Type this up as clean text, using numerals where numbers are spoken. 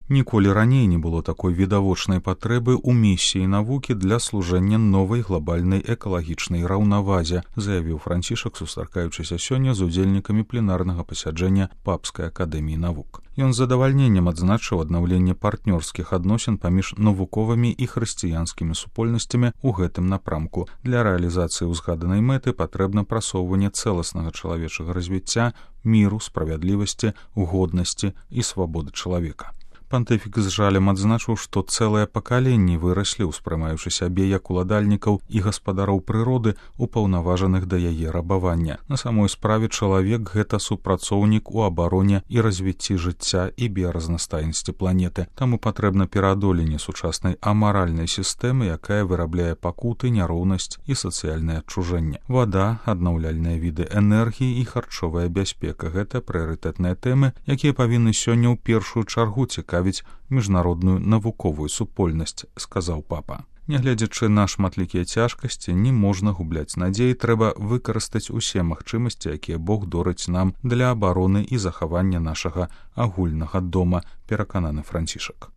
Ніколі раней не было такой відавочнай патрэбы ў місіі навукі для служэння новай глобальнай экалагічнай раўнавазе, заявіў Францішак, сустракаючыся сёння з удзельнікамі пленарнага пасяджэння Папскай акадэміі навук. Ён з задавальненнем адзначыў аднаўленне партнёрскіх адносін паміж навуковымі і хрысціянскімі супольнасцямі ў гэтым напрамку. Для рэалізацыі ўзгаданай мэты патрэбна прасоўванне цэласнага чалавечага развіцця, міру, справядлівасці, годнасці і свабоды чалавека. Пантыфік з жалем адзначыў, што цэлыя пакаленні выраслі, успрымаючы сябе як уладальнікаў і гаспадароў прыроды, упаўнаважаных да яе рабавання. На самой справе чалавек — гэта супрацоўнік у абароне і развіцці жыцця і біяразнастайнасці планеты. Таму патрэбна пераадоленне сучаснай амаральнай сістэмы, якая вырабляе пакуты, няроўнасць і сацыяльнае адчужэнне. Вада, аднаўляльныя віды энергіі і харчовая бяспека — гэта прыярытэтныя тэмы, якія павінны сёння ў першую чаргу цікавіць міжнародную навуковую супольнасць, сказаў папа. Нягледзячы на шматлікія цяжкасці, не можна губляць надзеі, трэба выкарыстаць усе магчымасці, якія Бог дорыць нам для абароны і захавання нашага агульнага дома, перакананы Францішак.